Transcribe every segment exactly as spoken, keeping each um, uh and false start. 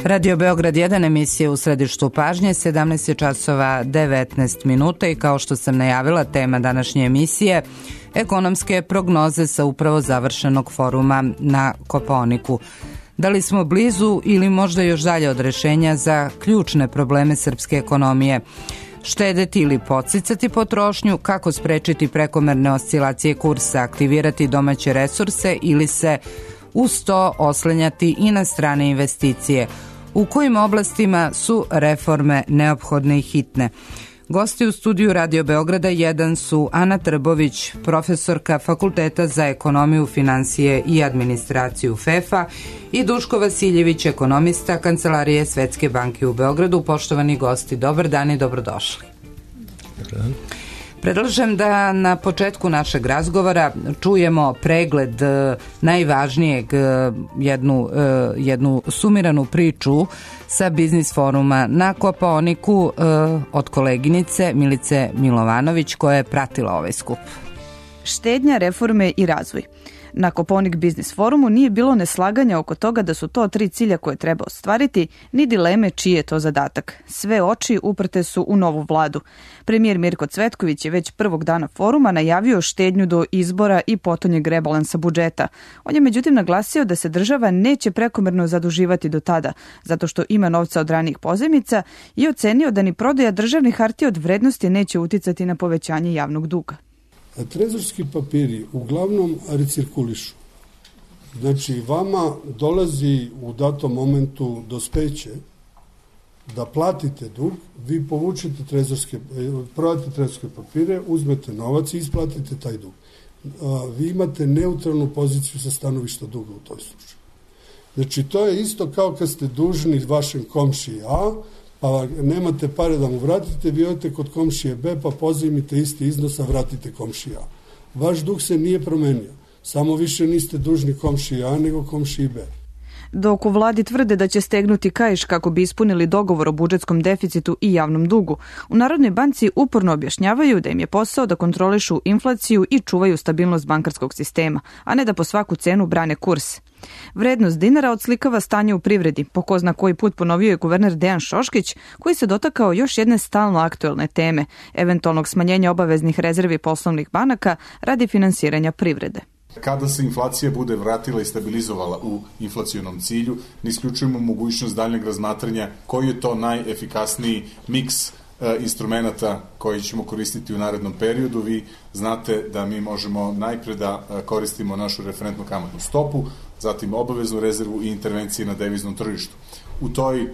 Radio Beograd jedan, emisija u središtu pažnje, sedamnaest je časova devetnaest minuta i kao što sam najavila, tema današnje emisije ekonomske prognoze sa upravo završenog foruma na Kopaoniku. Da li smo blizu ili možda još dalje od rešenja za ključne probleme srpske ekonomije? Štedeti ili podsticati potrošnju, kako sprečiti prekomerne oscilacije kursa, aktivirati domaće resurse ili se uz to oslanjati i na strane investicije? U kojim oblastima su reforme neophodne i hitne? Gosti u studiju Radio Beograda jedan su Ana Trbović, profesorka Fakulteta za ekonomiju, finansije i administraciju F E F A i Duško Vasiljević, ekonomista Kancelarije Svetske banke u Beogradu. Poštovani gosti, dobar dan i dobrodošli. Dobar dan. Predlažem da na početku našeg razgovora čujemo pregled najvažnijeg, jednu, jednu sumiranu priču sa biznis foruma na Kopaoniku od koleginice Milice Milovanović koja je pratila ovaj skup. Štednja, reforme i razvoj. Na Kopaonik biznis forumu nije bilo neslaganja oko toga da su to tri cilja koje treba ostvariti, ni dileme čiji je to zadatak. Sve oči uprte su u novu vladu. Premijer Mirko Cvetković je već prvog dana foruma najavio štednju do izbora i potonjeg rebalansa budžeta. On je međutim naglasio da se država neće prekomerno zaduživati do tada, zato što ima novca od ranijih pozajmica, i ocenio da ni prodaja državnih hartija od vrednosti neće uticati na povećanje javnog duga. Trezorski papiri uglavnom recirkulišu. Znači, vama dolazi u datom momentu dospeće da platite dug, vi povučete trezorske, prodate trezorske papire, uzmete novac i isplatite taj dug. Vi imate neutralnu poziciju sa stanovišta duga u toj slučaju. Znači, to je isto kao kad ste dužni vašem komšiji A, pa nemate pare da mu vratite, vi odete kod komšije B, pa pozajmite isti iznos, a vratite komšiji A. Vaš dug se nije promenio, samo više niste dužni komšiji A, nego komšiji B. Dok u vladi tvrde da će stegnuti kaiš kako bi ispunili dogovor o budžetskom deficitu i javnom dugu, u Narodnoj banci uporno objašnjavaju da im je posao da kontrolišu inflaciju i čuvaju stabilnost bankarskog sistema, a ne da po svaku cenu brane kurs. Vrednost dinara odslikava stanje u privredi, po ko zna koji put ponovio je guverner Dejan Šoškić, koji se dotakao još jedne stalno aktuelne teme, eventualnog smanjenja obaveznih rezervi poslovnih banaka radi finansiranja privrede. Kada se inflacija bude vratila i stabilizovala u inflacionom cilju, ne isključujemo mogućnost daljnjeg razmatranja koji je to najefikasniji miks e, instrumenta koji ćemo koristiti u narednom periodu. Vi znate da mi možemo najpre da koristimo našu referentnu kamatnu stopu, zatim obaveznu rezervu i intervencije na deviznom tržištu. U toj e,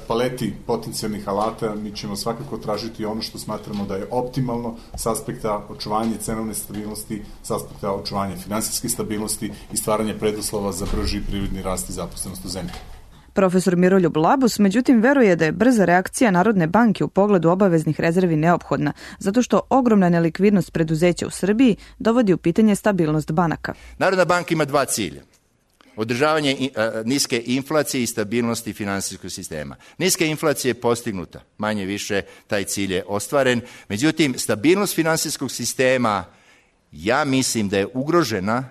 paleti potencijalnih alata mi ćemo svakako tražiti ono što smatramo da je optimalno s aspekta očuvanja cenovne stabilnosti, s aspekta očuvanja finansijske stabilnosti i stvaranja preduslova za brži privredni rast i zaposlenost u zemlji. Profesor Miroljub Labus međutim veruje da je brza reakcija Narodne banke u pogledu obaveznih rezervi neophodna, zato što ogromna nelikvidnost preduzeća u Srbiji dovodi u pitanje stabilnost banaka. Narodna banka ima dva cilja. Održavanje niske inflacije i stabilnosti finansijskog sistema. Niska inflacija je postignuta, manje više taj cilj je ostvaren. Međutim, stabilnost finansijskog sistema, ja mislim da je ugrožena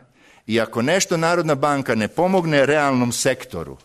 i ako nešto Narodna banka ne pomogne realnom sektoru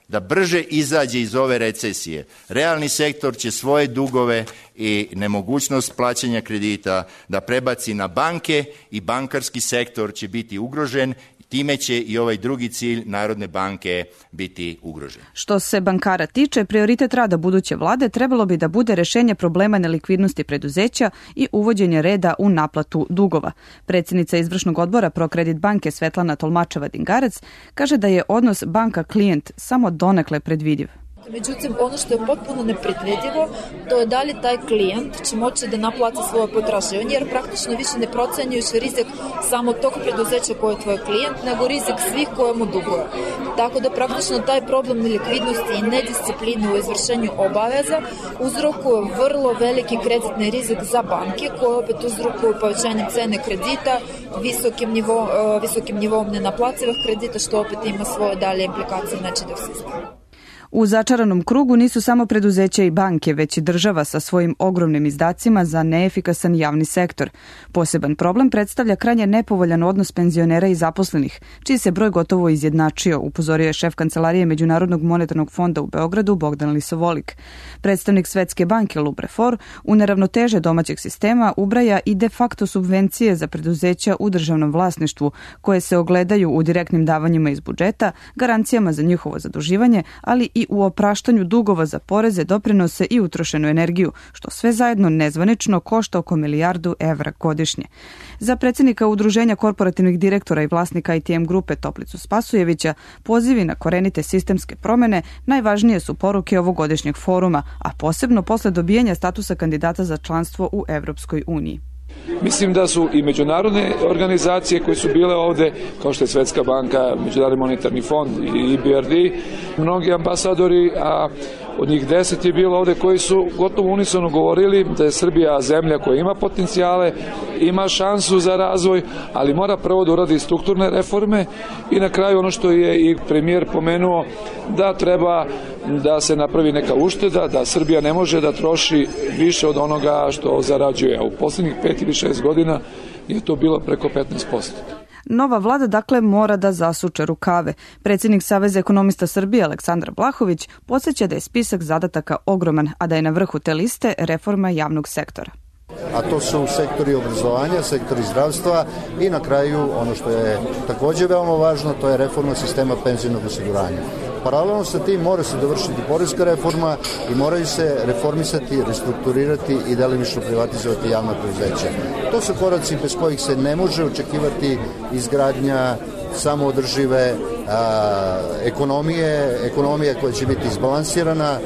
da brže izađe iz ove recesije, realni sektor će svoje dugove i nemogućnost plaćanja kredita da prebaci na banke i bankarski sektor će biti ugrožen. Time će i ovaj drugi cilj Narodne banke biti ugrožen. Što se bankara tiče, prioritet rada buduće vlade trebalo bi da bude rešenje problema nelikvidnosti preduzeća i uvođenje reda u naplatu dugova. Predsjednica izvršnog odbora Prokredit banke Svetlana Tolmačeva-Dingarac kaže da je odnos banka-klijent samo donekle predvidiv. Međutim, ono što je potpuno nepredvidivo, to je da li taj klijent će moći da naplati svoje potraživanje, jer praktično više ne procenjuješ rizik samo tog preduzeća koje je tvoj klijent, nego rizik svih koje mu duguje. Tako da praktično taj problem nelikvidnosti i nediscipline u izvršenju obaveza uzrokuje vrlo veliki kreditni rizik za banke, koje opet uzrokuju povećanjem cene kredita, visokim, nivo, visokim nivom nenaplativih kredita, što opet ima svoje dalje implikacije na čitav sistem. U začaranom krugu nisu samo preduzeća i banke, već i država sa svojim ogromnim izdacima za neefikasan javni sektor. Poseban problem predstavlja krajnje nepovoljan odnos penzionera i zaposlenih, čiji se broj gotovo izjednačio, upozorio je šef Kancelarije Međunarodnog monetarnog fonda u Beogradu Bogdan Lisovolik. Predstavnik Svetske banke Luprefor u neravnoteže domaćeg sistema ubraja i de facto subvencije za preduzeća u državnom vlasništvu, koje se ogledaju u direktnim davanjima iz budžeta, garancijama za njihovo zaduživanje, ali i u opraštanju dugova za poreze, doprinose i utrošenu energiju, što sve zajedno nezvanično košta oko milijardu evra godišnje. Za predsjednika Udruženja korporativnih direktora i vlasnika I T M grupe Toplicu Spasujevića, pozivi na korenite sistemske promene najvažnije su poruke ovogodišnjeg foruma, a posebno posle dobijanja statusa kandidata za članstvo u Evropskoj uniji. Mislim da su i međunarodne organizacije koje su bile ovde, kao što je Svetska banka, Međunarodni monetarni fond i E B R D, mnogi ambasadori, a od njih deset je bilo ovde koji su gotovo unisono govorili da je Srbija zemlja koja ima potencijale, ima šansu za razvoj, ali mora prvo da uradi strukturne reforme i na kraju ono što je i premijer pomenuo, da treba da se napravi neka ušteda, da Srbija ne može da troši više od onoga što zarađuje. A u posljednjih pet ili šest godina je to bilo preko petnaest posto. Nova vlada dakle mora da zasuče rukave. Predsjednik Saveza ekonomista Srbije Aleksandar Vlahović podsjeća da je spisak zadataka ogroman, a da je na vrhu te liste reforma javnog sektora. A to su sektori obrazovanja, sektori zdravstva i na kraju ono što je također veoma važno, to je reforma sistema penzijnog osiguranja. Paralelno sa tim mora se dovršiti poreska reforma i moraju se reformisati, restrukturirati i delimično privatizovati javna preduzeća. To su koraci bez kojih se ne može očekivati izgradnja samoodržive a, ekonomije, ekonomija koja će biti izbalansirana, a,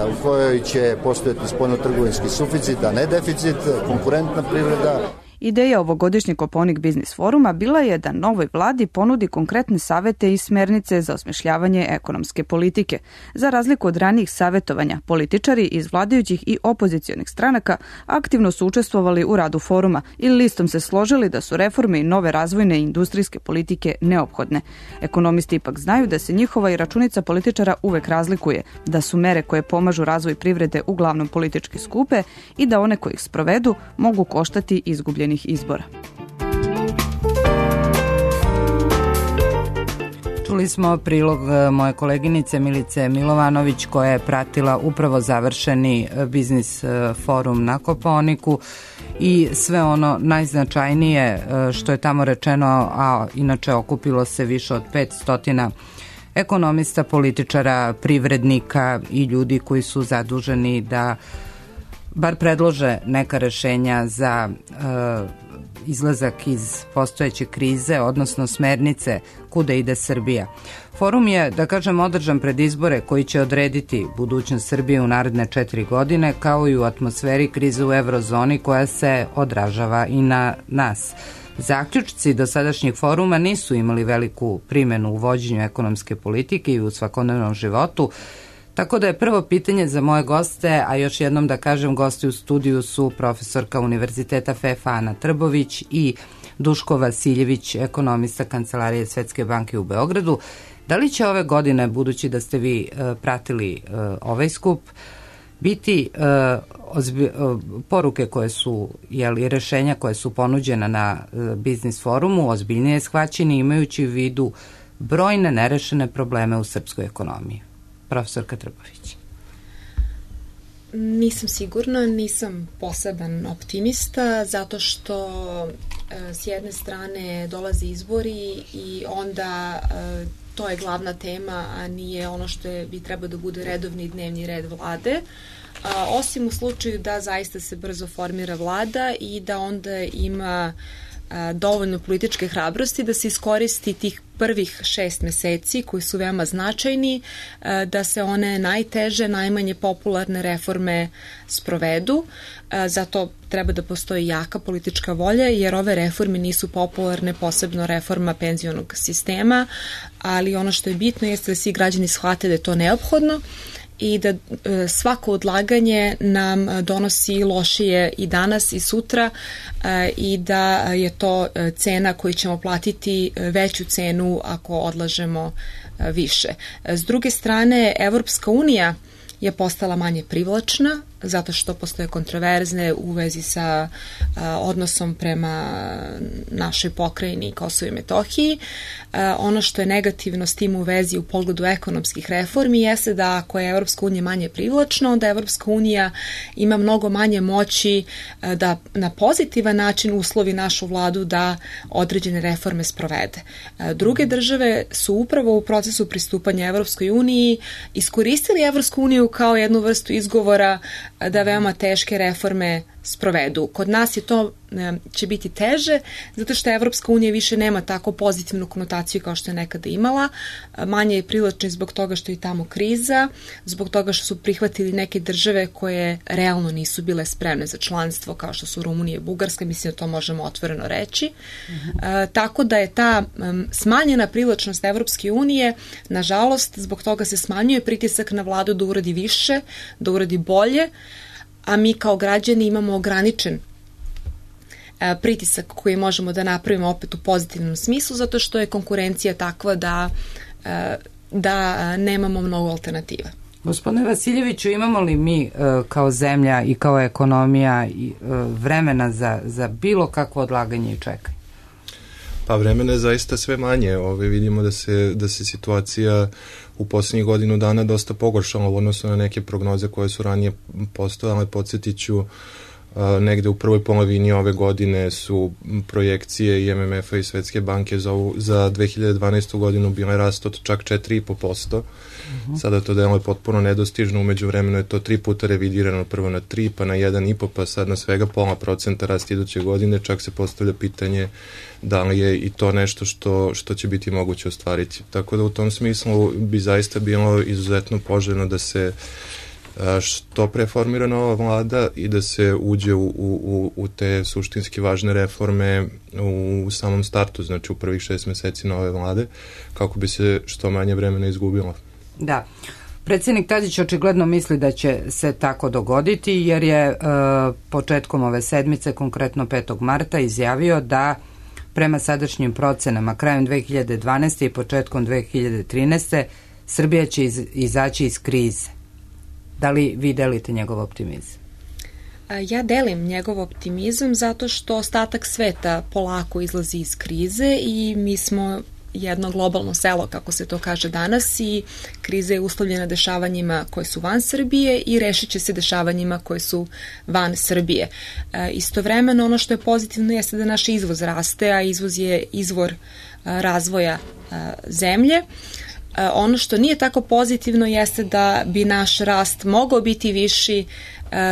u kojoj će postojati spoljnotrgovinski suficit, a ne deficit, konkurentna privreda. Ideja ovogodišnjeg Kopaonik biznis foruma bila je da novoj vladi ponudi konkretne savete i smernice za osmišljavanje ekonomske politike. Za razliku od ranijih savetovanja, političari iz vladajućih i opozicionih stranaka aktivno su učestvovali u radu foruma i listom se složili da su reforme i nove razvojne i industrijske politike neophodne. Ekonomisti ipak znaju da se njihova i računica političara uvek razlikuje, da su mere koje pomažu razvoj privrede uglavnom politički skupe i da one koji ih sprovedu mogu koštati izgubljenih izbora. Čuli smo prilog moje koleginice Milice Milovanović koja je pratila upravo završeni biznis forum na Kopaoniku i sve ono najznačajnije što je tamo rečeno, a inače okupilo se više od petsto ekonomista, političara, privrednika i ljudi koji su zaduženi da bar predlože neka rešenja za e, izlazak iz postojeće krize, odnosno smernice kuda ide Srbija. Forum je, da kažem, održan pred izbore koji će odrediti budućnost Srbije u naredne četiri godine, kao i u atmosferi krize u eurozoni koja se odražava i na nas. Zaključci dosadašnjeg foruma nisu imali veliku primenu u vođenju ekonomske politike i u svakodnevnom životu, tako da je prvo pitanje za moje goste, a još jednom da kažem, gosti u studiju su profesorka Univerziteta F E F Ana Trbović i Duško Vasiljević, ekonomista Kancelarije Svetske banke u Beogradu. Da li će ove godine, budući da ste vi uh, pratili uh, ovaj skup, biti uh, ozbi, uh, poruke koje su, jeli, rešenja koje su ponuđena na uh, biznis forumu ozbiljnije shvaćeni, imajući u vidu brojne nerešene probleme u srpskoj ekonomiji? Profesorka Trbović. Nisam sigurna, nisam poseban optimista, zato što e, s jedne strane dolaze izbori i onda e, to je glavna tema, a nije ono što je, bi trebao da bude redovni dnevni red vlade. A, osim u slučaju da zaista se brzo formira vlada i da onda ima a, dovoljno političke hrabrosti da se iskoristi tih prvih šest meseci koji su veoma značajni, da se one najteže, najmanje popularne reforme sprovedu. Zato treba da postoji jaka politička volja, jer ove reforme nisu popularne, posebno reforma penzionog sistema, ali ono što je bitno jeste da svi građani shvate da je to neophodno i da svako odlaganje nam donosi lošije i danas i sutra i da je to cena koju ćemo platiti veću cenu ako odlažemo više. S druge strane, Evropska unija je postala manje privlačna zato što postoje kontroverzne u vezi sa a, odnosom prema našoj pokrajini Kosovo i Metohiji. A, ono što je negativno s tim u vezi u pogledu ekonomskih reformi jeste da ako je Evropska unija manje privlačna, onda Evropska unija ima mnogo manje moći a, da na pozitivan način uslovi našu vladu da određene reforme sprovede. A, druge države su upravo u procesu pristupanja Evropskoj uniji iskoristili Evropsku uniju kao jednu vrstu izgovora da veoma teške reforme sprovedu. Kod nas je to će biti teže, zato što Evropska unija više nema tako pozitivnu konotaciju kao što je nekada imala. Manje je privlačna zbog toga što je tamo kriza, zbog toga što su prihvatili neke države koje realno nisu bile spremne za članstvo, kao što su Rumunija i Bugarska, mislim da to možemo otvoreno reći. Mm-hmm. E, tako da je ta um, smanjena privlačnost Evropske unije, nažalost, zbog toga se smanjuje pritisak na vladu da uradi više, da uradi bolje, a mi kao građani imamo ograničen pritisak koji možemo da napravimo opet u pozitivnom smislu, zato što je konkurencija takva da, da nemamo mnogo alternativa. Gospodine Vasiljeviću, imamo li mi kao zemlja i kao ekonomija vremena za, za bilo kakvo odlaganje i čekanje? Pa vremena je zaista sve manje. Ove, vidimo da se, da se situacija u poslednjih godinu dana dosta pogoršala u odnosu na neke prognoze koje su ranije postojale. Podsjetit ću, negde u prvoj polovini ove godine su projekcije i M M F-a i Svetske banke za, ovu, za dve hiljade dvanaestu godinu bile rast od čak četiri zarez pet posto. Uh-huh. Sada to deluje potpuno nedostižno, umeđu vremenu je to tri puta revidirano, prvo na tri, pa na jedan i po, pa sad na svega pola procenta rast iduće godine. Čak se postavlja pitanje da li je i to nešto što, što će biti moguće ostvariti. Tako da u tom smislu bi zaista bilo izuzetno poželjno da se što preformira nova vlada i da se uđe u, u, u te suštinski važne reforme u samom startu, znači u prvih šest meseci nove vlade, kako bi se što manje vremena izgubilo. Da. Predsjednik Tadić očigledno misli da će se tako dogoditi, jer je e, početkom ove sedmice, konkretno petog marta, izjavio da prema sadašnjim procenama krajem dve hiljade dvanaeste. i početkom dve hiljade trinaeste. Srbija će iz, izaći iz krize. Da li vi delite njegov optimizam? Ja delim njegov optimizam zato što ostatak sveta polako izlazi iz krize i mi smo jedno globalno selo, kako se to kaže danas, i kriza je uslovljena dešavanjima koje su van Srbije i rešit će se dešavanjima koje su van Srbije. E, istovremeno ono što je pozitivno jeste da naš izvoz raste, a izvoz je izvor a, razvoja a, zemlje. Ono što nije tako pozitivno jeste da bi naš rast mogao biti viši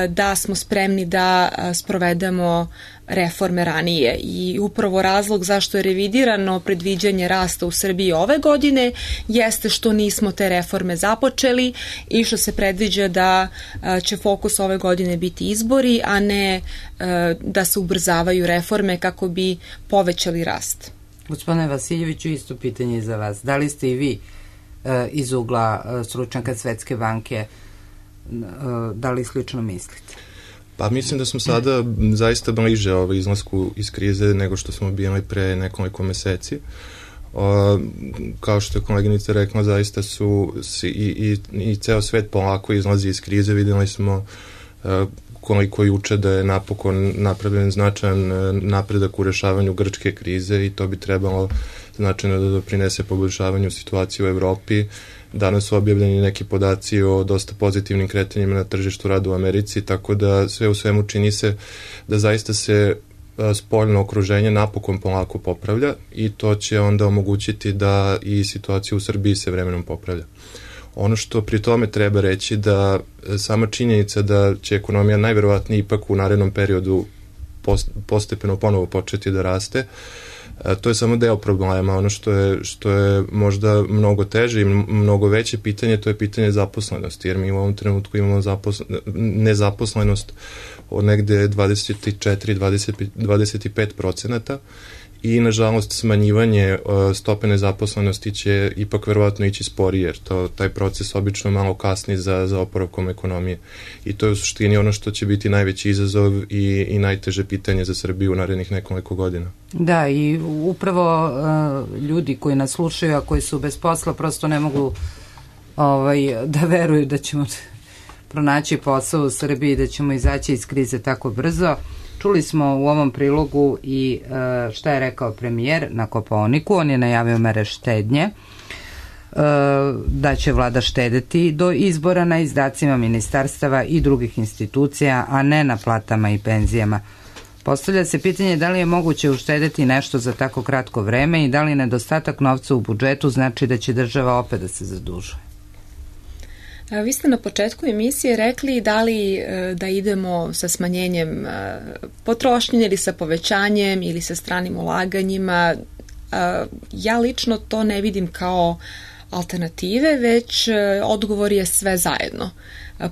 da smo spremni da sprovedemo reforme ranije. I upravo razlog zašto je revidirano predviđanje rasta u Srbiji ove godine jeste što nismo te reforme započeli i što se predviđa da će fokus ove godine biti izbori, a ne da se ubrzavaju reforme kako bi povećali rast. Gospodine Vasiljeviću, isto pitanje za vas. Da li ste i vi iz ugla stručnjaka Svetske banke, da li slično mislite? Pa mislim da smo sada zaista bliže ovaj izlasku iz krize nego što smo bili pre nekoliko meseci. O, kao što je koleginica rekla, zaista su i, i, i ceo svet polako izlazi iz krize. Videli smo uh, koliko juče da je napokon napravljen značajan napredak u rešavanju grčke krize i to bi trebalo značajno da doprinese poboljšavanju situacije u Evropi. Danas su objavljeni neki podaci o dosta pozitivnim kretanjima na tržištu rada u Americi, tako da sve u svemu čini se da zaista se spoljno okruženje napokon polako popravlja i to će onda omogućiti da i situacija u Srbiji se vremenom popravlja. Ono što pri tome treba reći da sama činjenica da će ekonomija najverovatnije ipak u narednom periodu postepeno ponovo početi da raste, to je samo deo problema. Ono što je, što je možda mnogo teže i mnogo veće pitanje, to je pitanje zaposlenosti, jer mi u ovom trenutku imamo zaposl... nezaposlenost od negde dvadeset četiri do dvadeset pet procenata i nažalost smanjivanje uh, stope nezaposlenosti će ipak verovatno ići sporije, jer to, taj proces obično malo kasni za, za oporavkom ekonomije. I to je u suštini ono što će biti najveći izazov i, i najteže pitanje za Srbiju u narednih nekoliko godina. Da, i upravo uh, ljudi koji nas slušaju, a koji su bez posla, prosto ne mogu ovaj, da veruju da ćemo pronaći posao u Srbiji, da ćemo izaći iz krize tako brzo. Čuli smo u ovom prilogu i uh, šta je rekao premijer na Kopaoniku. On je najavio mere štednje, uh, da će vlada štedeti do izbora na izdacima ministarstava i drugih institucija, a ne na platama i penzijama. Postavlja se pitanje da li je moguće uštedeti nešto za tako kratko vreme i da li nedostatak novca u budžetu znači da će država opet da se zadužuje. Vi ste na početku emisije rekli da li da idemo sa smanjenjem potrošnje ili sa povećanjem ili sa stranim ulaganjima. Ja lično to ne vidim kao alternative, već odgovor je sve zajedno.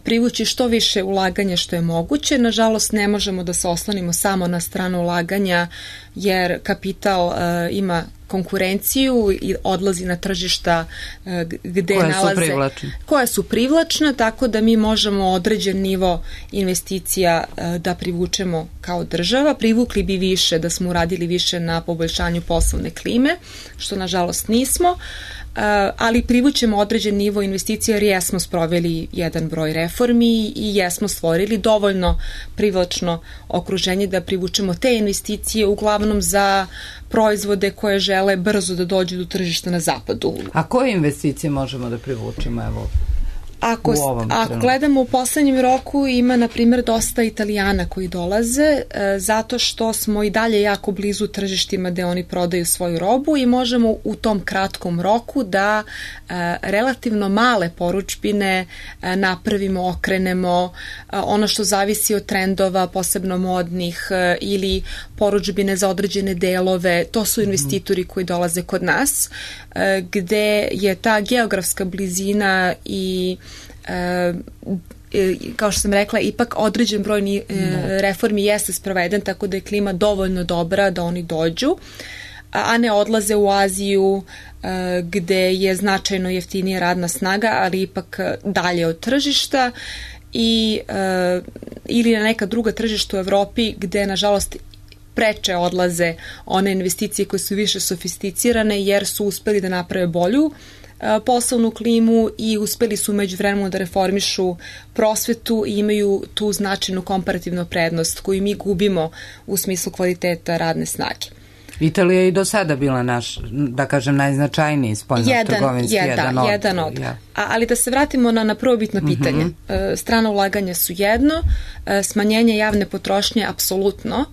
Privući što više ulaganja što je moguće. Nažalost, ne možemo da se oslonimo samo na stranu ulaganja, jer kapital uh, ima konkurenciju i odlazi na tržišta uh, gde koja nalaze, su privlačne. koja su privlačna, tako da mi možemo određen nivo investicija uh, da privučemo kao država. Privukli bi više da smo uradili više na poboljšanju poslovne klime, što nažalost nismo. Uh, ali privućemo određen nivo investicija jer jesmo sproveli jedan broj reformi i jesmo stvorili dovoljno privlačno okruženje da privučemo te investicije uglavnom za proizvode koje žele brzo da dođu do tržišta na zapadu. A koje investicije možemo da privučemo, evo? Ako, ako gledamo u poslednjem roku, ima na primjer dosta Italijana koji dolaze e, zato što smo i dalje jako blizu tržištima gde oni prodaju svoju robu i možemo u tom kratkom roku da e, relativno male poručbine e, napravimo, okrenemo, e, ono što zavisi od trendova, posebno modnih e, ili poručbine za određene delove, to su investitori koji dolaze kod nas, e, gde je ta geografska blizina i E, kao što sam rekla, ipak određen broj ni, e, reformi jeste sproveden, tako da je klima dovoljno dobra da oni dođu, a ne odlaze u Aziju e, gde je značajno jeftinija radna snaga, ali ipak dalje od tržišta i, e, ili na neka druga tržišta u Evropi gde nažalost preče odlaze one investicije koje su više sofisticirane jer su uspeli da naprave bolju poslovnu klimu i uspeli su među vremenu da reformišu prosvetu i imaju tu značajnu komparativnu prednost koju mi gubimo u smislu kvaliteta radne snage. Italija je i do sada bila naš, da kažem, najznačajniji spoljno-trgovinski jedan, jedan, od. Jedan od. Ja. A, ali da se vratimo na, na prvobitno pitanje. Uh-huh. E, strana ulaganja su jedno, e, smanjenje javne potrošnje apsolutno,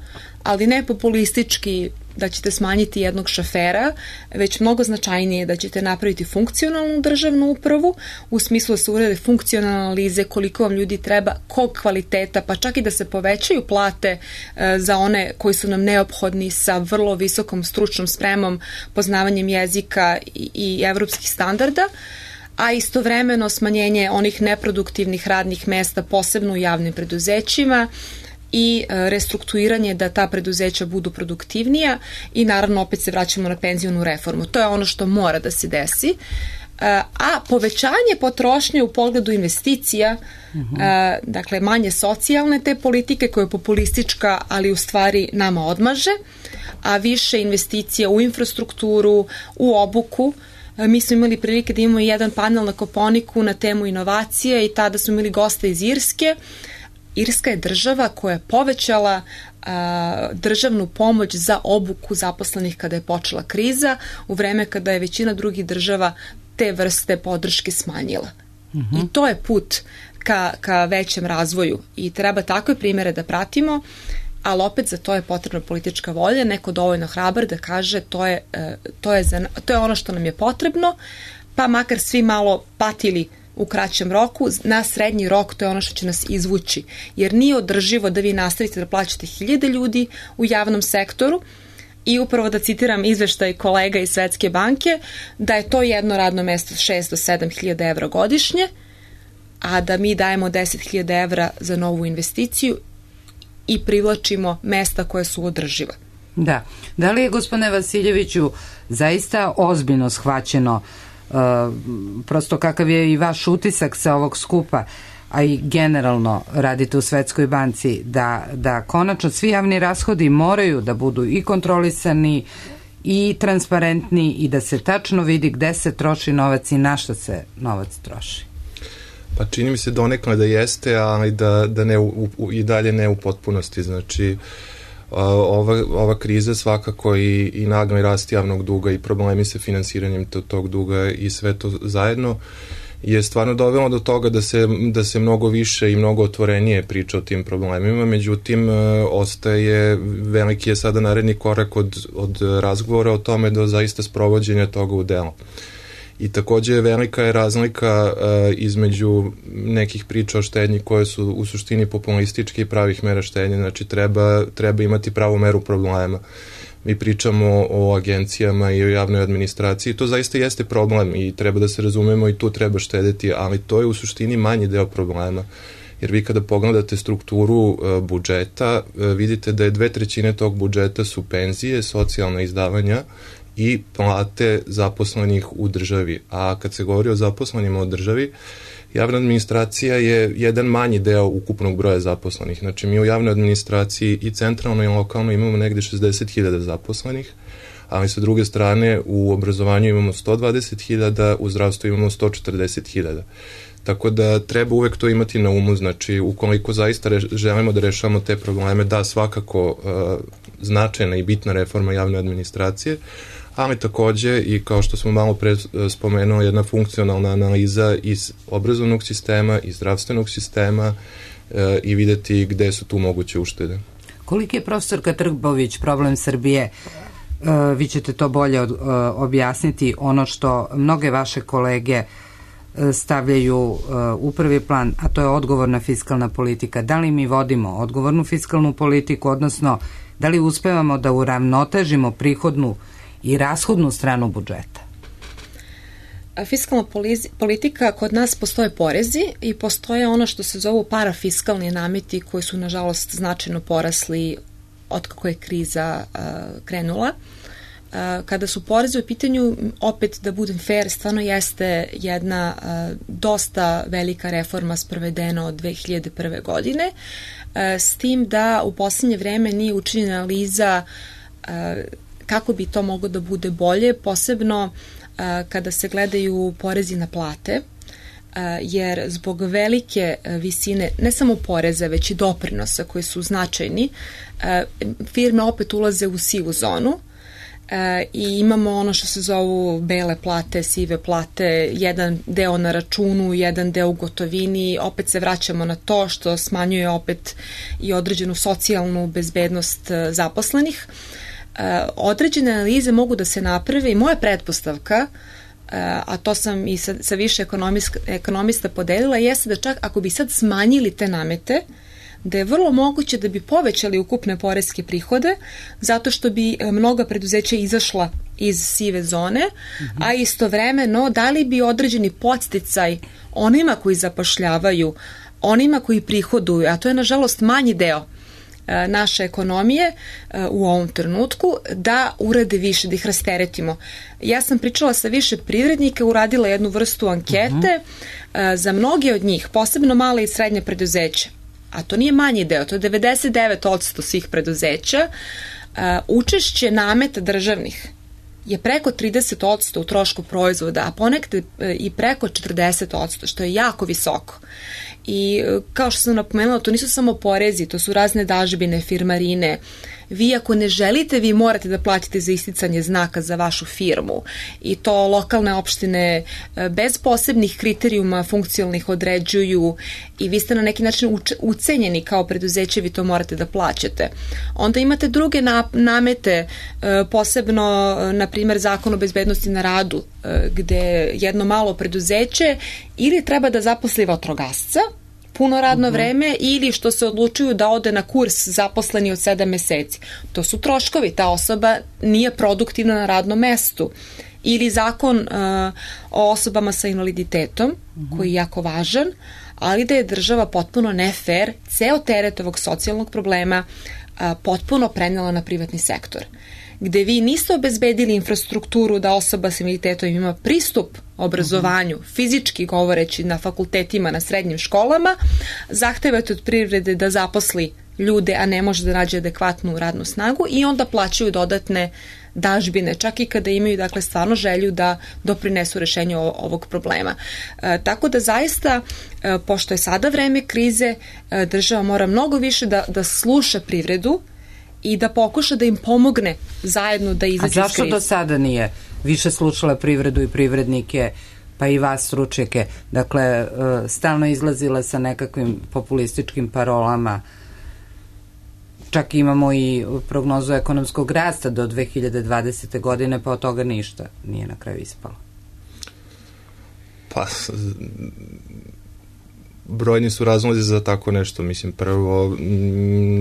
ali ne populistički da ćete smanjiti jednog šofera, već mnogo značajnije da ćete napraviti funkcionalnu državnu upravu, u smislu da se urede funkcionalne analize koliko vam ljudi treba, kog kvaliteta, pa čak i da se povećaju plate e, za one koji su nam neophodni sa vrlo visokom stručnom spremom, poznavanjem jezika i, i evropskih standarda, a istovremeno smanjenje onih neproduktivnih radnih mesta, posebno u javnim preduzećima, i restrukturiranje da ta preduzeća budu produktivnija i naravno opet se vraćamo na penzionu reformu. To je ono što mora da se desi. A povećanje potrošnje u pogledu investicija, uh-huh. dakle manje socijalne te politike koja je populistička, ali u stvari nama odmaže, a više investicija u infrastrukturu, u obuku. Mi smo imali prilike da imamo jedan panel na Koponiku na temu inovacije i tada smo imali gosta iz Irske. Irska je država koja je povećala a, državnu pomoć za obuku zaposlenih kada je počela kriza, u vreme kada je većina drugih država te vrste podrške smanjila. Uh-huh. I to je put ka, ka većem razvoju i treba takve primere da pratimo, ali opet za to je potrebna politička volja, neko dovoljno hrabar da kaže to je, to je, za, to je ono što nam je potrebno, pa makar svi malo patili u kraćem roku, na srednji rok to je ono što će nas izvući. Jer nije održivo da vi nastavite da plaćate hiljade ljudi u javnom sektoru i upravo da citiram izveštaj kolega iz Svetske banke, da je to jedno radno mesto šest do sedam hiljada evra godišnje, a da mi dajemo deset hiljada evra za novu investiciju i privlačimo mesta koje su održiva. Da. Da li je, gospodine Vasiljeviću, zaista ozbiljno shvaćeno, uh, prosto kakav je i vaš utisak sa ovog skupa, a i generalno radite u Svetskoj banci, da, da konačno svi javni rashodi moraju da budu i kontrolisani i transparentni i da se tačno vidi gde se troši novac i na šta se novac troši? Pa čini mi se donekle da jeste, ali da, da ne u, u, i dalje ne u potpunosti. Znači, ova, ova kriza svakako i, i nagli rast javnog duga i problemi sa finansiranjem tog duga i sve to zajedno je stvarno dovelo do toga da se, da se mnogo više i mnogo otvorenije priča o tim problemima, međutim ostaje, veliki je sada naredni korak od, od razgovora o tome do zaista sprovođenja toga u delo. I takođe velika je razlika uh, između nekih priča o štednji koje su u suštini populističke i pravih mera štednje, znači treba, treba imati pravu meru problema. Mi pričamo o agencijama i o javnoj administraciji, to zaista jeste problem i treba da se razumemo i tu treba štedeti, ali to je u suštini manji deo problema. Jer vi kada pogledate strukturu uh, budžeta, uh, vidite da je dve trećine tog budžeta su penzije, socijalna izdavanja i plate zaposlenih u državi. A kad se govori o zaposlenima u državi, javna administracija je jedan manji deo ukupnog broja zaposlenih. Znači, mi u javnoj administraciji i centralno i lokalno imamo negde šezdeset hiljada zaposlenih, ali sa druge strane u obrazovanju imamo sto dvadeset hiljada, u zdravstvu imamo sto četrdeset hiljada. Tako da treba uvek to imati na umu, znači ukoliko zaista reš, želimo da rešavamo te probleme, da svakako uh, značajna i bitna reforma javne administracije, ali takođe i kao što smo malo pre spomenuli, jedna funkcionalna analiza iz obrazovnog sistema, iz zdravstvenog sistema e, i videti gde su tu moguće uštede. Koliki je, profesorka Trbović, problem Srbije? E, vi ćete to bolje od, e, objasniti, ono što mnoge vaše kolege e, stavljaju e, u prvi plan, a to je odgovorna fiskalna politika. Da li mi vodimo odgovornu fiskalnu politiku, odnosno da li uspevamo da uravnotežimo prihodnu i rashodnu stranu budžeta? Fiskalna politika, kod nas postoje porezi i postoje ono što se zovu parafiskalni nameti koji su nažalost značajno porasli od kako je kriza uh, krenula. Uh, kada su porezi u pitanju, opet da budem fair, stvarno jeste jedna uh, dosta velika reforma sprovedena od dve hiljade prve. godine, uh, s tim da u poslednje vreme nije učinjena analiza uh, kako bi to moglo da bude bolje, posebno uh, kada se gledaju porezi na plate, uh, jer zbog velike uh, visine, ne samo poreza, već i doprinosa koji su značajni, uh, firme opet ulaze u sivu zonu uh, i imamo ono što se zovu bele plate, sive plate, jedan deo na računu, jedan deo u gotovini, opet se vraćamo na to što smanjuje opet i određenu socijalnu bezbednost uh, zaposlenih. Uh, određene analize mogu da se naprave i moja pretpostavka, uh, a to sam i sa, sa više ekonomista podelila, jeste da čak ako bi sad smanjili te namete, da je vrlo moguće da bi povećali ukupne poreske prihode, zato što bi mnoga preduzeća izašla iz sive zone, mm-hmm. a istovremeno dali bi određeni podsticaj onima koji zapošljavaju, onima koji prihoduju, a to je nažalost manji deo naše ekonomije u ovom trenutku, da urade više, da ih rasteretimo. Ja sam pričala sa više privrednika, uradila jednu vrstu ankete, uh-huh. za mnoge od njih, posebno male i srednje preduzeće, a to nije manji deo, to je devedeset devet posto svih preduzeća, učešće nameta državnih je preko trideset posto u trošku proizvoda, a ponekad i preko četrdeset posto, što je jako visoko. I kao što sam napomenula, to nisu samo porezi, to su razne dažbine, firmarine. Vi ako ne želite, vi morate da platite za isticanje znaka za vašu firmu i to lokalne opštine bez posebnih kriterijuma funkcionalnih određuju i vi ste na neki način ucenjeni kao preduzeće, vi to morate da plaćate. Onda imate druge namete, posebno na primer Zakon o bezbednosti na radu, gde jedno malo preduzeće ili treba da zaposli vatrogasca puno radno vreme ili što se odlučuju da ode na kurs zaposleni od sedam meseci. To su troškovi, ta osoba nije produktivna na radnom mestu. Ili zakon uh, o osobama sa invaliditetom, uh-huh. koji je jako važan, ali da je država potpuno nefer ceo teret ovog socijalnog problema a, potpuno prenela na privatni sektor, gde vi niste obezbedili infrastrukturu da osoba sa invaliditetom ima pristup obrazovanju, mm-hmm. fizički govoreći na fakultetima, na srednjim školama, zahtevate od privrede da zaposli ljude, a ne može da nađe adekvatnu radnu snagu i onda plaćaju dodatne dažbine, čak i kada imaju dakle stvarno želju da doprinesu rešenju ovog problema. E, tako da zaista, e, pošto je sada vreme krize, e, država mora mnogo više da, da sluša privredu i da pokuša da im pomogne zajedno da izađu iz krize. A zašto do sada nije više slušala privredu i privrednike, pa i vas stručnjake? Dakle, stalno izlazila sa nekakvim populističkim parolama. Čak imamo i prognozu ekonomskog rasta do dve hiljade dvadesete godine, pa od toga ništa nije na kraju ispalo. Pa, brojni su razlozi za tako nešto. Mislim, prvo,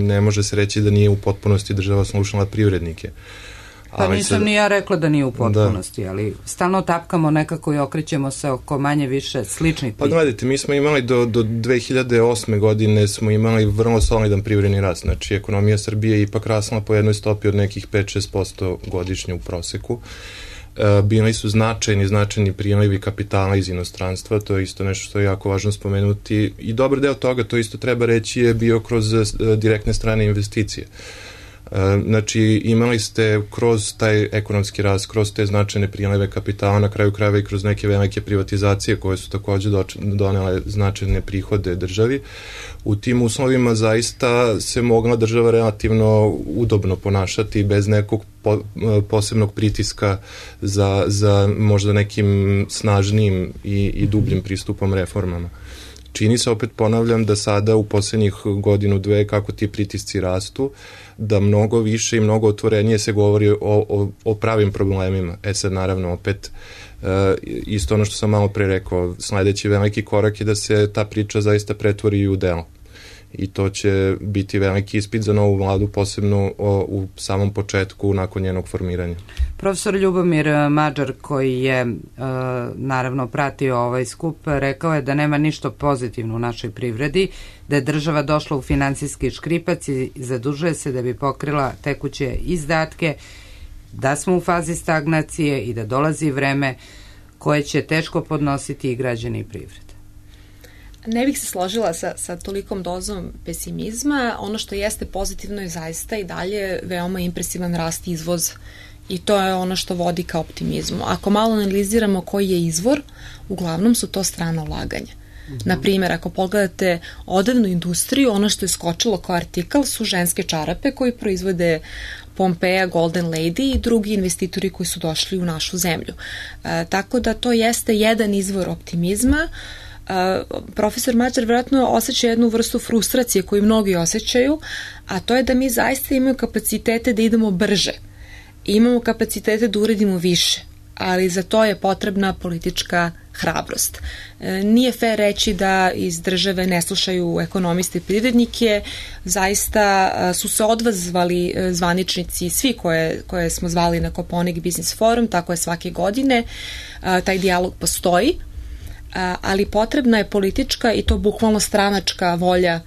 ne može se reći da nije u potpunosti država slušala privrednike. Pa ali nisam se... ni ja rekla da nije u potpunosti, da. Ali stalno tapkamo nekako i okrećemo se oko manje više sličnih pitanja. Pa gledajte, mi smo imali do, do dve hiljade osme godine smo imali vrlo solidan privredni rast. Znači, ekonomija Srbije je ipak rasla po jednoj stopi od nekih pet do šest posto godišnje u proseku. E, bili su značajni, značajni prijelivi kapitala iz inostranstva, to je isto nešto što je jako važno spomenuti i dobar deo toga, to isto treba reći, je bio kroz e, direktne strane investicije. Znači, imali ste kroz taj ekonomski rast, kroz te značajne prijelive kapitala, na kraju krajeva i kroz neke velike privatizacije koje su takođe donele značajne prihode državi. U tim uslovima zaista se mogla država relativno udobno ponašati bez nekog po, posebnog pritiska za, za možda nekim snažnijim i, i dubljim pristupom reformama. Čini se, opet ponavljam, da sada u poslednjih godinu, dve, kako ti pritisci rastu, da mnogo više i mnogo otvorenije se govori o, o, o pravim problemima. E sad, naravno, opet, e, isto ono što sam malo pre rekao, sledeći veliki korak je da se ta priča zaista pretvori i u delo. I to će biti veliki ispit za novu vladu, posebno o, u samom početku nakon njenog formiranja. Profesor Ljubomir Mađar, koji je uh, naravno pratio ovaj skup, rekao je da nema ništa pozitivno u našoj privredi, da je država došla u finansijski škripac i zadužuje se da bi pokrila tekuće izdatke, da smo u fazi stagnacije i da dolazi vreme koje će teško podnositi i građani i privrede. Ne bih se složila sa, sa tolikom dozom pesimizma. Ono što jeste pozitivno je zaista i dalje veoma impresivan rast izvoza. I to je ono što vodi ka optimizmu. Ako malo analiziramo koji je izvor, uglavnom su to strana ulaganja. Mm-hmm. Naprimjer, ako pogledate odevnu industriju, ono što je skočilo kao artikal su ženske čarape koji proizvode Pompeja, Golden Lady i drugi investitori koji su došli u našu zemlju. E, tako da to jeste jedan izvor optimizma. Uh, profesor Mađar vjerojatno osjeća jednu vrstu frustracije koju mnogi osjećaju, a to je da mi zaista imamo kapacitete da idemo brže. Imamo kapacitete da uredimo više, ali za to je potrebna politička hrabrost. E, nije fair reći da iz države ne slušaju ekonomiste i privrednike, zaista a, su se odvazvali a, zvaničnici, svi koje, koje smo zvali na Koponik Business Forum, tako je svake godine, a, taj dijalog postoji, a, ali potrebna je politička i to bukvalno stranačka volja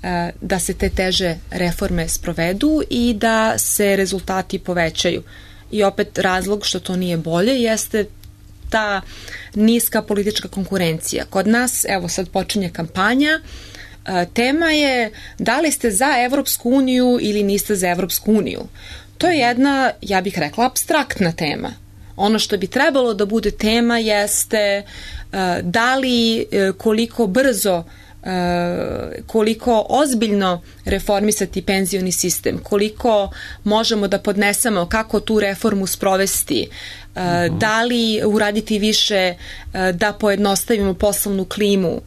a, da se te teže reforme sprovedu i da se rezultati povećaju. I opet razlog što to nije bolje jeste ta niska politička konkurencija. Kod nas, evo sad počinje kampanja, tema je da li ste za Evropsku uniju ili niste za Evropsku uniju. To je jedna, ja bih rekla, apstraktna tema. Ono što bi trebalo da bude tema jeste da li, koliko brzo, koliko ozbiljno reformisati penzioni sistem, koliko možemo da podnesemo, kako tu reformu sprovesti, uh-huh. da li uraditi više da pojednostavimo poslovnu klimu,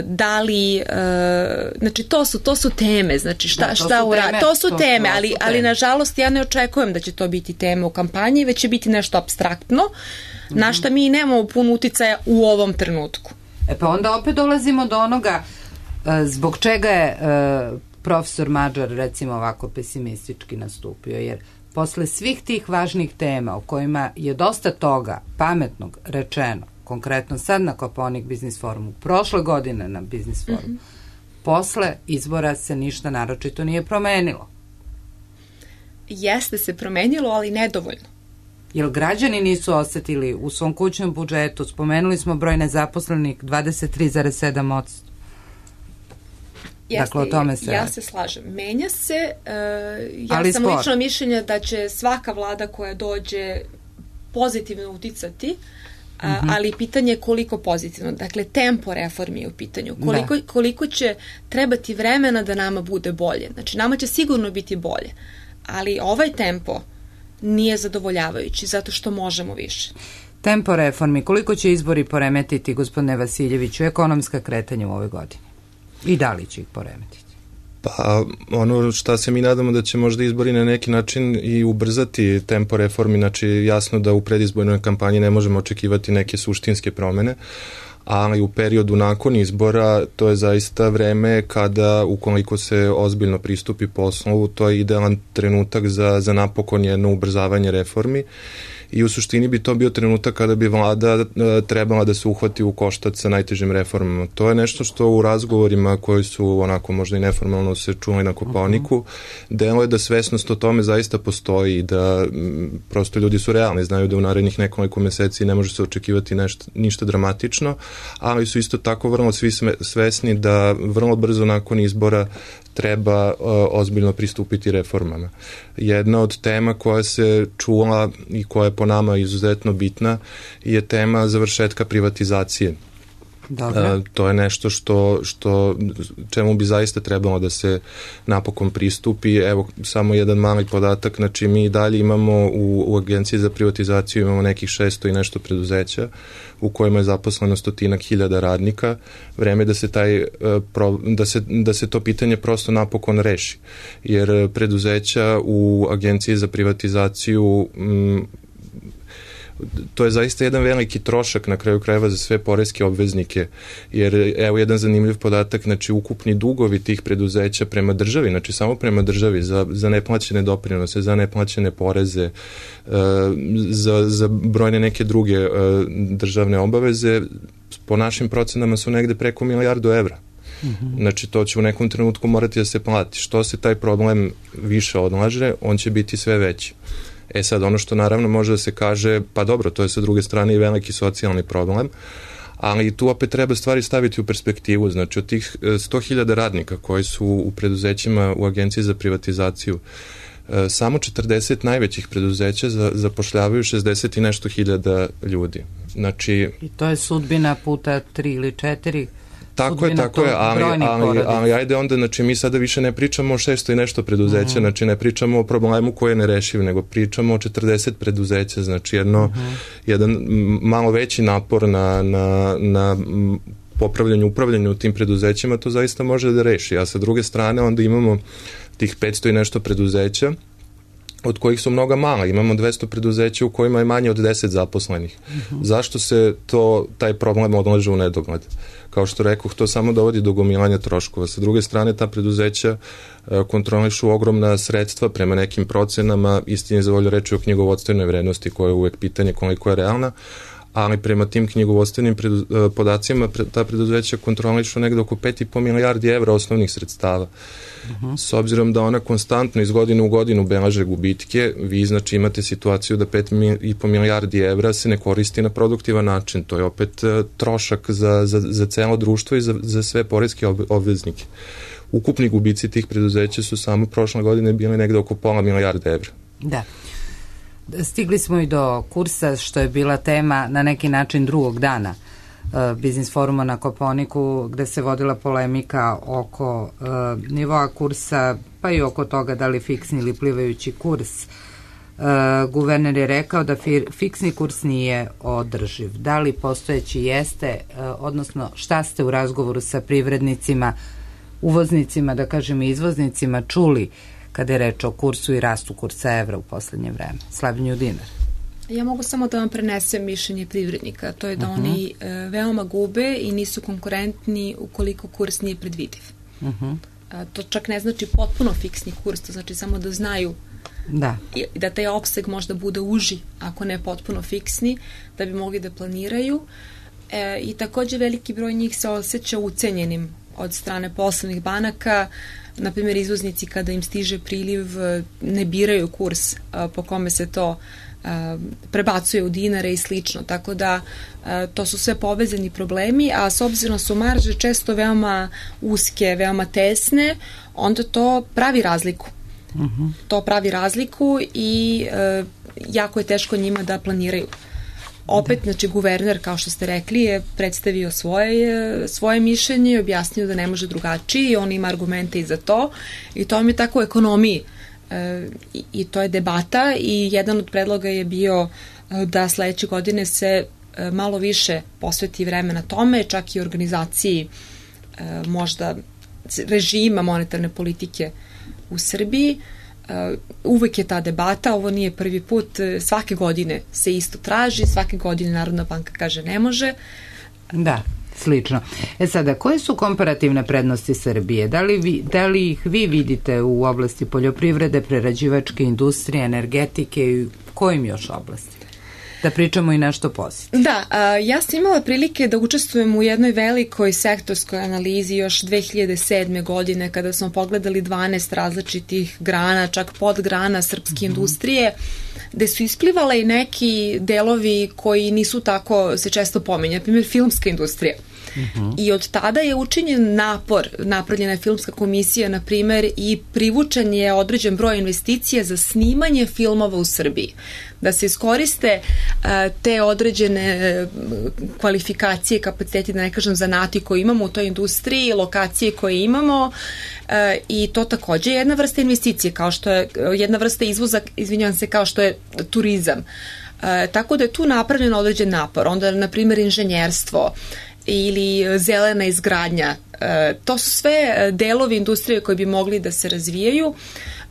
da li, znači to su, to su teme, znači šta, da, to šta uraditi, to su to, teme, to, ali, to ali nažalost ja ne očekujem da će to biti tema u kampanji, već će biti nešto apstraktno, uh-huh. na šta mi nemamo puno uticaja u ovom trenutku. E pa onda opet dolazimo do onoga zbog čega je profesor Mađar recimo ovako pesimistički nastupio, jer posle svih tih važnih tema o kojima je dosta toga pametnog rečeno, konkretno sad na Koponik Business Forumu, prošle godine na Business Forumu, mm-hmm. posle izbora se ništa naročito nije promenilo. jeste se promenilo, ali nedovoljno. Jel građani nisu osetili u svom kućnom budžetu, spomenuli smo broj nezaposlenih dvadeset tri zarez sedam posto. Jeste, dakle, o tome se ja radi. se slažem. Menja se, uh, ja Ali sam spor. lično mišljenja da će svaka vlada koja dođe pozitivno uticati, uh, Mhm. ali pitanje je koliko pozitivno. Dakle, tempo reformi je u pitanju. Koliko, koliko će trebati vremena da nama bude bolje. Znači, nama će sigurno biti bolje, ali ovaj tempo nije zadovoljavajući, zato što možemo više. Tempo reformi, koliko će izbori poremetiti, gospodine Vasiljeviću, ekonomska kretanja u ovoj godini? I da li će ih poremetiti? Pa ono šta se mi nadamo da će možda izbori na neki način i ubrzati tempo reformi, znači jasno da u predizbornoj kampanji ne možemo očekivati neke suštinske promene, ali u periodu nakon izbora to je zaista vreme kada ukoliko se ozbiljno pristupi poslu, to je idealan trenutak za, za napokon jedno ubrzavanje reformi. I u suštini bi to bio trenutak kada bi vlada trebala da se uhvati u koštac sa najtežim reformama. To je nešto što u razgovorima koji su onako možda i neformalno se čuli na Kopaoniku, delo je da svesnost o tome zaista postoji i da m, prosto ljudi su realni, znaju da u narednih nekoliko meseci ne može se očekivati nešto, ništa dramatično, ali su isto tako vrlo svi svesni da vrlo brzo nakon izbora treba uh, ozbiljno pristupiti reformama. Jedna od tema koja se čula i koja je po nama izuzetno bitna je tema završetka privatizacije. Dobro. Uh, to je nešto što, što čemu bi zaista trebalo da se napokon pristupi. Evo, samo jedan mali podatak, znači mi dalje imamo u, u Agenciji za privatizaciju imamo nekih šesto i nešto preduzeća u kojima je zaposleno stotinak hiljada radnika. Vreme da se taj da se, da se to pitanje prosto napokon reši. Jer preduzeća u Agenciji za privatizaciju m, to je zaista jedan veliki trošak na kraju krajeva za sve poreske obveznike, jer evo jedan zanimljiv podatak, znači ukupni dugovi tih preduzeća prema državi, znači samo prema državi za, za neplaćene doprinose, za neplaćene poreze, za, za brojne neke druge državne obaveze, po našim procenama su negde preko milijardu evra. Mm-hmm. Znači to će u nekom trenutku morati da se plati. Što se taj problem više odlaže, on će biti sve veći. E sad, ono što naravno može da se kaže, pa dobro, to je sa druge strane i veliki socijalni problem, ali tu opet treba stvari staviti u perspektivu. Znači, od tih sto hiljada radnika koji su u preduzećima u Agenciji za privatizaciju, samo četrdeset najvećih preduzeća zapošljavaju šezdeset i nešto hiljada ljudi. Znači, i to je sudbina puta tri ili četiri. Tako je, tako je, ali, ali, ali ajde onda, znači mi sada više ne pričamo o šesto i nešto preduzeća, mm. znači ne pričamo o problemu koji je nerešiv, nego pričamo o četrdeset preduzeća, znači jedno, mm. jedan malo veći napor na, na, na popravljanju, upravljanju u tim preduzećima, to zaista može da reši. A sa druge strane onda imamo tih petsto i nešto preduzeća, od kojih su mnoga mala. Imamo dvesta preduzeća u kojima je manje od deset zaposlenih. Uh-huh. Zašto se to, taj problem odlaže u nedogled? Kao što rekoh, to samo dovodi do gomilanja troškova. Sa druge strane, ta preduzeća e, kontrolišu ogromna sredstva prema nekim procenama, istini za volju reči o knjigovodstvenoj vrednosti, koja je uvek pitanje koliko je realna, ali prema tim knjigovodstvenim predu, podacima pre, ta preduzeća kontrolišu negde oko pet i po milijardi evra osnovnih sredstava. Uh-huh. S obzirom da ona konstantno iz godine u godinu beleže gubitke, vi znači imate situaciju da pet i po milijardi evra se ne koristi na produktivan način. To je opet uh, trošak za, za, za celo društvo i za, za sve poreske obveznike. Ukupni gubici tih preduzeća su samo prošle godine bili negde oko pola milijarde evra. Da. Stigli smo i do kursa, što je bila tema na neki način drugog dana uh, Biznis foruma na Kopaoniku, gde se vodila polemika oko uh, nivoa kursa, pa i oko toga da li fiksni ili plivajući kurs. Uh, guverner je rekao da fir, fiksni kurs nije održiv. Da li postojeći jeste, uh, odnosno šta ste u razgovoru sa privrednicima, uvoznicima, da kažem i izvoznicima, čuli kada je reč o kursu i rastu kursa evra u poslednje vreme, slabljenju dinara? Ja mogu samo da vam prenesem mišljenje privrednika. To je da uh-huh. oni e, veoma gube i nisu konkurentni ukoliko kurs nije predvidiv. Uh-huh. A, to čak ne znači potpuno fiksni kurs, to znači samo da znaju da, i, da taj opseg možda bude uži, ako ne potpuno fiksni, da bi mogli da planiraju. E, I takođe veliki broj njih se osjeća ucenjenim od strane poslovnih banaka. Na primjer, izvoznici kada im stiže priliv ne biraju kurs po kome se to prebacuje u dinare i slično, tako da to su sve povezani problemi, a s obzirom su marže često veoma uske, veoma tesne, onda to pravi razliku. Uh-huh. To pravi razliku i e, jako je teško njima da planiraju. Opet, da. Znači, guverner, kao što ste rekli, je predstavio svoje, svoje mišljenje i objasnio da ne može drugačije i on ima argumente i za to i to vam je tako u ekonomiji. E, i, i to je debata i jedan od predloga je bio da sledeće godine se e, malo više posveti vremena tome, čak i organizaciji e, možda režima monetarne politike u Srbiji. Uh, uvek je ta debata, ovo nije prvi put, svake godine se isto traži, svake godine Narodna banka kaže ne može. Da, slično. E sada, koje su komparativne prednosti Srbije? Da li, vi, da li ih vi vidite u oblasti poljoprivrede, prerađivačke industrije, energetike i kojim još oblasti? Da pričamo i nešto pozitivno. Da, a, ja sam imala prilike da učestvujem u jednoj velikoj sektorskoj analizi još dve hiljade sedme. godine kada smo pogledali dvanaest različitih grana, čak podgrana srpske mm-hmm. industrije, gde su isplivale i neki delovi koji nisu tako se često pominja, na primjer filmska industrija. Uh-huh. I od tada je učinjen napor, napravljena je filmska komisija, na primer, i privučen je određen broj investicija za snimanje filmova u Srbiji. Da se iskoriste uh, te određene uh, kvalifikacije, kapaciteti, da ne kažem zanati koje imamo u toj industriji, lokacije koje imamo uh, i to takođe je jedna vrsta investicije, kao što je uh, jedna vrsta izvoza, izvinjavam se, kao što je turizam. Uh, tako da je tu napravljen određen napor. Onda, na primer, inženjerstvo ili zelena izgradnja. E, to su sve delovi industrije koji bi mogli da se razvijaju.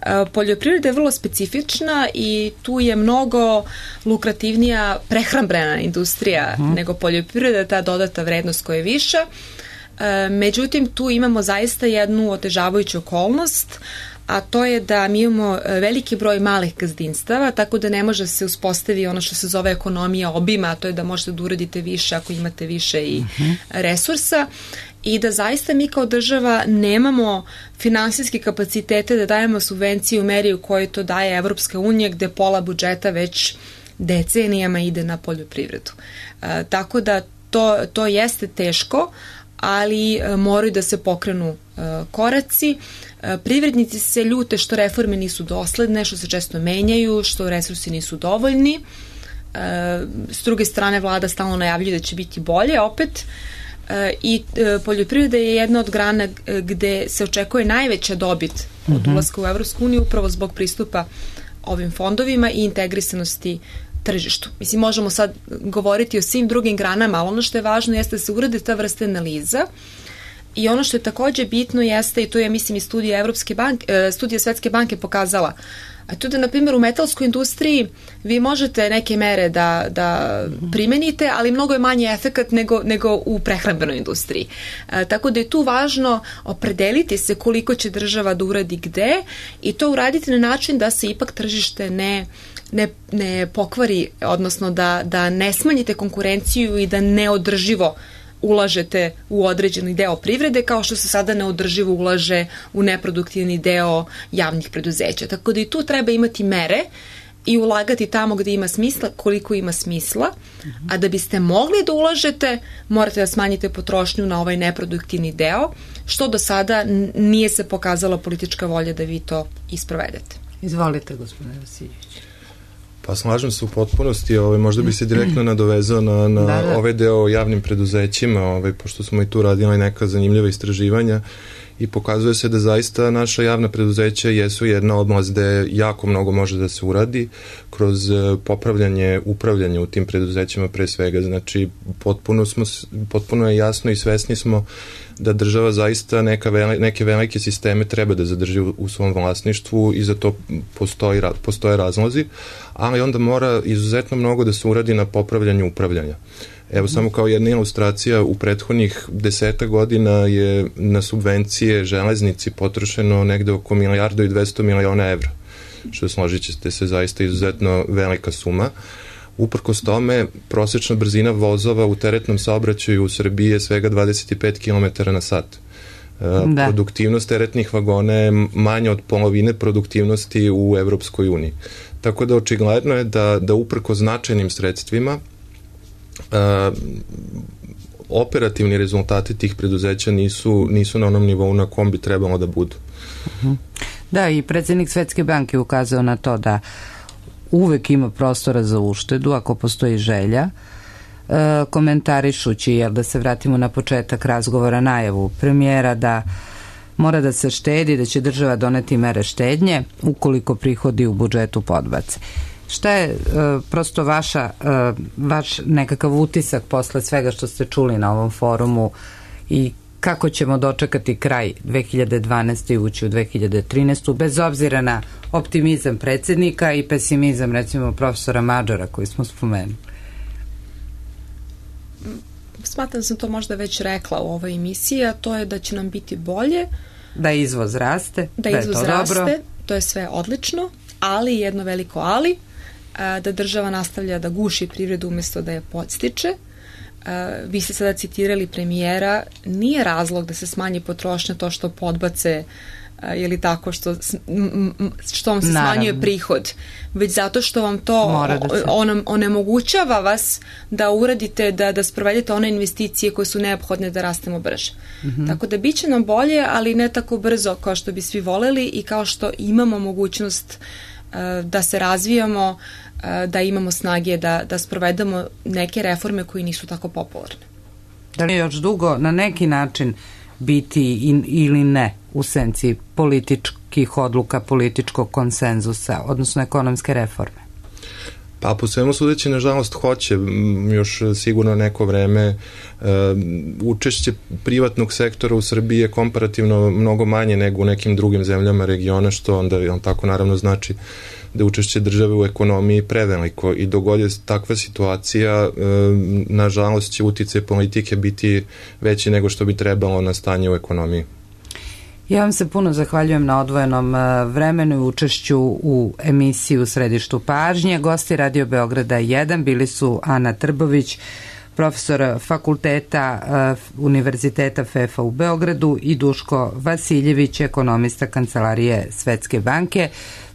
E, poljoprivreda je vrlo specifična i tu je mnogo lukrativnija prehrambena industrija uh-huh. nego poljoprivreda, ta dodata vrednost koja je viša. E, međutim, tu imamo zaista jednu otežavajuću okolnost, a to je da mi imamo veliki broj malih gazdinstava, tako da ne može se uspostavi ono što se zove ekonomija obima, a to je da možete da uradite više ako imate više i uh-huh. resursa i da zaista mi kao država nemamo finansijske kapacitete da dajemo subvencije u meri u kojoj to daje Evropska unija, gde pola budžeta već decenijama ide na poljoprivredu. E, tako da to, to jeste teško, ali e, moraju da se pokrenu e, koraci. E, privrednici se ljute što reforme nisu dosledne, što se često menjaju, što resursi nisu dovoljni. E, s druge strane, vlada stalno najavljuje da će biti bolje opet. E, I e, poljoprivreda je jedna od grana gde se očekuje najveća dobit od uh-huh. ulaska u Evropsku uniju upravo zbog pristupa ovim fondovima i integrisanosti tržištu. Mislim, možemo sad govoriti o svim drugim granama, ali ono što je važno jeste da se urade ta vrsta analiza i ono što je takođe bitno jeste, i to je, mislim, i studija Evropske banke, studija Svetske banke pokazala, a to da, na primjer, u metalskoj industriji vi možete neke mere da, da primenite, ali mnogo je manji efekat nego, nego u prehrambenoj industriji. E, tako da je tu važno opredeliti se koliko će država da uradi gde i to uraditi na način da se ipak tržište ne Ne, ne pokvari, odnosno da, da ne smanjite konkurenciju i da neodrživo ulažete u određeni deo privrede, kao što se sada neodrživo ulaže u neproduktivni deo javnih preduzeća. Tako da i tu treba imati mere i ulagati tamo gde ima smisla, koliko ima smisla, a da biste mogli da ulažete, morate da smanjite potrošnju na ovaj neproduktivni deo, što do sada nije se pokazala politička volja da vi to isprovedete. Izvolite, gospodine Vasiljević. Pa slažem se u potpunosti, ovaj, možda bi se direktno nadovezao na, na da, da. ovaj deo o javnim preduzećima, ovaj, pošto smo i tu radili neka zanimljiva istraživanja i pokazuje se da zaista naša javna preduzeća jesu jedna oblast gde jako mnogo može da se uradi kroz popravljanje, upravljanje u tim preduzećima pre svega. Znači, potpuno, smo, potpuno je jasno i svesni smo da država zaista neka veli, neke velike sisteme treba da zadrži u, u svom vlasništvu i za to postoji, postoje razlozi, ali onda mora izuzetno mnogo da se uradi na popravljanju upravljanja. Evo, samo kao jedna ilustracija, u prethodnih deseta godina je na subvencije železnici potrošeno negde oko milijardu i dvesta miliona evra, što složit ćete se zaista izuzetno velika suma. Uprkos tome, prosečna brzina vozova u teretnom saobraćaju u Srbiji je svega dvadeset pet kilometara na sat. Da. Produktivnost teretnih vagona je manja od polovine produktivnosti u Evropskoj uniji. Tako da očigledno je da, da uprko značajnim sredstvima uh, operativni rezultati tih preduzeća nisu, nisu na onom nivou na kom bi trebalo da budu. Uh-huh. Da, i predsjednik Svetske banke ukazao na to da uvek ima prostora za uštedu ako postoji želja, e, komentarišući, jer da se vratimo na početak razgovora, najavu premijera da mora da se štedi, da će država doneti mere štednje ukoliko prihodi u budžetu podbace. Šta je e, prosto vaša, e, vaš nekakav utisak posle svega što ste čuli na ovom forumu i kako ćemo dočekati kraj dve hiljade dvanaeste. i ući u dve hiljade trinaestu. bez obzira na optimizam predsjednika i pesimizam recimo profesora Mađora koji smo spomenuli? Smatram da sam to možda već rekla u ovoj emisiji, a to je da će nam biti bolje. Da izvoz raste. Da, da izvoz raste, dobro. To je sve odlično, ali jedno veliko ali, da država nastavlja da guši privredu umjesto da je podstiče. Uh, vi ste sada citirali premijera, nije razlog da se smanji potrošnja to što podbace uh, ili tako što, što vam se Naravno. smanjuje prihod, već zato što vam to se... on, onemogućava vas da uradite, da, da sprovedete one investicije koje su neophodne da rastemo brže. Mm-hmm. Tako da bit će nam bolje, ali ne tako brzo kao što bi svi voleli i kao što imamo mogućnost uh, da se razvijamo, da imamo snage da, da sprovedemo neke reforme koji nisu tako popularne. Da li je još dugo na neki način biti in, ili ne u senci političkih odluka, političkog konsenzusa, odnosno ekonomske reforme? Pa po svemu sudeći, nažalost, hoće još sigurno neko vreme. Učešće privatnog sektora u Srbiji je komparativno mnogo manje nego u nekim drugim zemljama regiona, što onda on tako naravno znači da učešće države u ekonomiji preveliko i dok god je takva situacija, nažalost će uticaj politike biti veći nego što bi trebalo na stanje u ekonomiji. Ja vam se puno zahvaljujem na odvojenom vremenu i učešću u emisiji U središtu pažnje. Gosti Radio Beograda jedan bili su Ana Trbović, profesor fakulteta Univerziteta F E F a u Beogradu i Duško Vasiljević, ekonomista Kancelarije Svetske banke.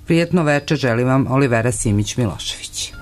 Prijetno večer želim vam Olivera Simić-Milošević.